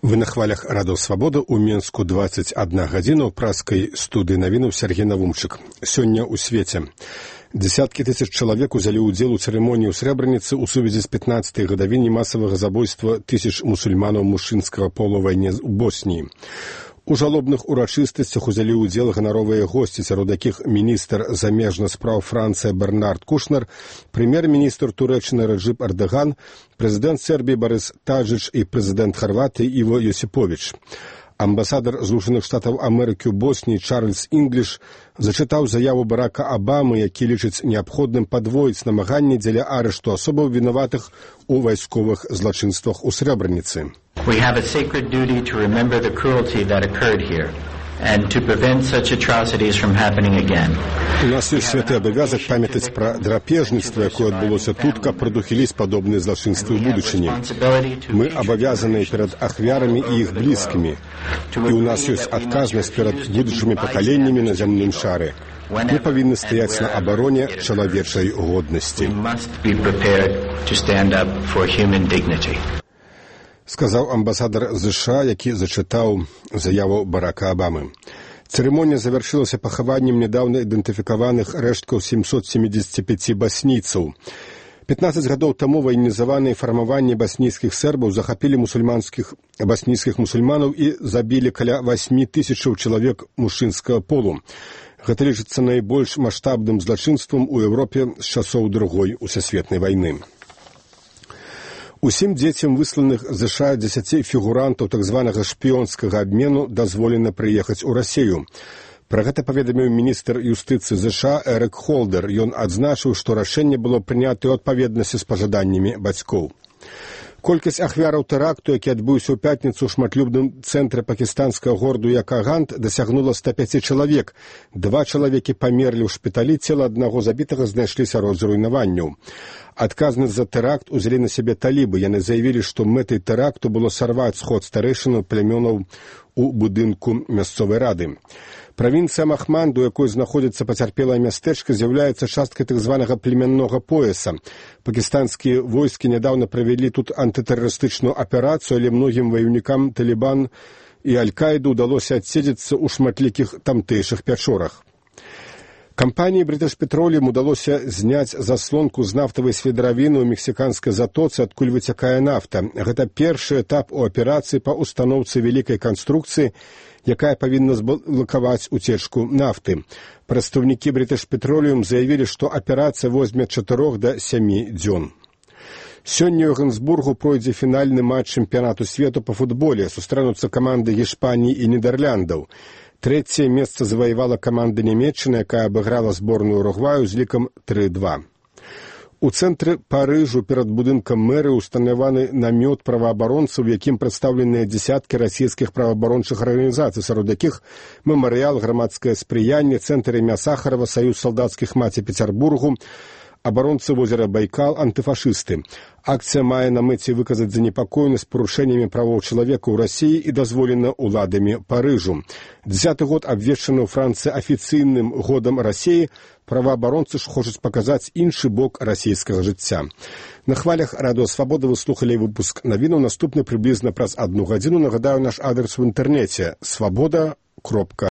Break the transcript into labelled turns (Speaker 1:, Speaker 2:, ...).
Speaker 1: Вы на хвалях радыё «Свабода» ў Мінску 21 гадзіна ў праскай студыі навінаў Сергей Навумчык. Сёння ў свеце. Десяткі тысяч чалавек узялі ўдзел у цырымоніі ў Срэбраніцы ў сувязі з 15-й гадавінай масавага забойства тысяч мусульманаў мужчынскага полу вайне ў Босніі. У жалобных урачыстасцях узялі ўдзел ганаровыя госці, сярод якіх міністр замежных спраў Францыі Бернард Кушнер, прэм'ер-міністр Турэччыны Реджеп Эрдоган, прэзідэнт Сербіі Борис Таджич і прэзідэнт Харватыі Іво Йосіповіч. Амбасадар Злучаных Штатаў Амерыкі ў Босніі Чарльз Інгліш зачытаў заяву Барака Абамы, які лічыць неабходным падвоіць намаганні дзеля арышту асобаў вінаватых у вайсковых злачынствах у Срэбраніцы.
Speaker 2: We have a sacred duty to remember the cruelty that occurred here and to prevent such atrocities from happening again.
Speaker 1: У нас ёсць святы абавязак памятаць пра драпежніцтва, якое адбылося тут, каб прадухіліць падобныя злачынствы ў будучыні. Мы абавязаныя перад ахвярамі і іх блізкімі, і ў нас ёсць адказнасць перад будучымі пакаленнямі на зямным шары. Мы павінны стаяць на абароне чалавечай годнасці. Сказаў амбасадар США, які зачытаў заяву Барака Абамы. Цырымонія завяршылася пахаваннем нядаўна ідэнтыфікаваных рэшткаў 775 баснійцаў. 15 гадоў таму ваенізаваныя фармаванні баснійскіх сербаў захапілі баснійскіх мусульманаў і забілі каля 8 тысячаў чалавек мужчынскага полу. Гэта лічыцца найбольш маштабным злачынствам у Еўропе з часоў Другой сусветнай вайны. Усім дзецям, высланых з США 10 фігурантаў так званага шпіёнскага абмену, дазволена прыехаць у Расію. Пра гэта паведаміў міністр юстыцыі США Эрык Холдер. Ён адзначыў, што рашэнне было прынята ў адпаведнасці з пажаданнямі бацькоў. Колькасць ахвяраў тэракту, які адбыўся ў пятніцу ў шматлюбным цэнтры пакістанскага гораду Якагант, дасягнула 105 чалавек. 2 чалавекі памерлі ў шпіталі, цела аднаго забітага знайшлі сярод руйнаванняў. Адказнасць за тэракт узялі на сябе талібы. Яны заявілі, што мэтай тэракту было сарваць сход старэйшынаў плямёнаў у будынку мясцовай рады. Правінцыя Махманд, у якой знаходзіцца пацярпелае мястэчка, з'яўляецца часткай так званага племяннога пояса. Пакістанскія войскі нядаўна правялі тут антытэрарыстычную аперацыю, але многім ваёўнікам Талібан і Аль-Каіды ўдалося адседзецца ў шматлікіх тамтэйшых пячорах. Кампаніі British Petroleum удалося зняць заслонку з нафтавай сведравіны ў мексіканскай затоцы, адкуль выцякае нафта. Гэта першы этап у аперацыі па устаноўцы вялікай канструкцыі, якая павінна зблакаваць уцечку нафты. Прадстаўнікі British Petroleum заявілі, што аперацыя возьме 4 да 7 дзён. Сёння ў Гансбургу пройдзе фінальны матч чэмпіянату свету па футболе. Сустрэнуцца каманды Гішпаніі і Нідэрляндаў. Трэцяе месца заваявала каманда Нямецчыны, якая абыграла зборную Уругваю з лікам 3-2. У цэнтры Парыжу перад будынкам мэры ўстанаваны намёт праваабаронцаў, у якім прадстаўленыя дзесяткі расійскіх праваабарончых арганізацый, сярод якіх мемарыял «Грамадскае спрыянне», цэнтр імя Сахарова, Саюз салдацкіх маці Пецярбургу, абаронцы возера Байкал, антыфашысты. Акцыя мае на мэце выказаць занепакоенасць парушэннямі правоў чалавека ў Расіі і дазволена ўладамі Парыжу. 10-й год абвешчаны ў Францыі афіцыйным годам Расіі, праваабаронцы ж хочуць паказаць іншы бок расійскага жыцця. На хвалях радыё «Свабода» вы слухалі выпуск навінаў, наступны прыблізна праз 1 гадзіну. Нагадаю, наш адрес у інтэрнэце свабода.ру.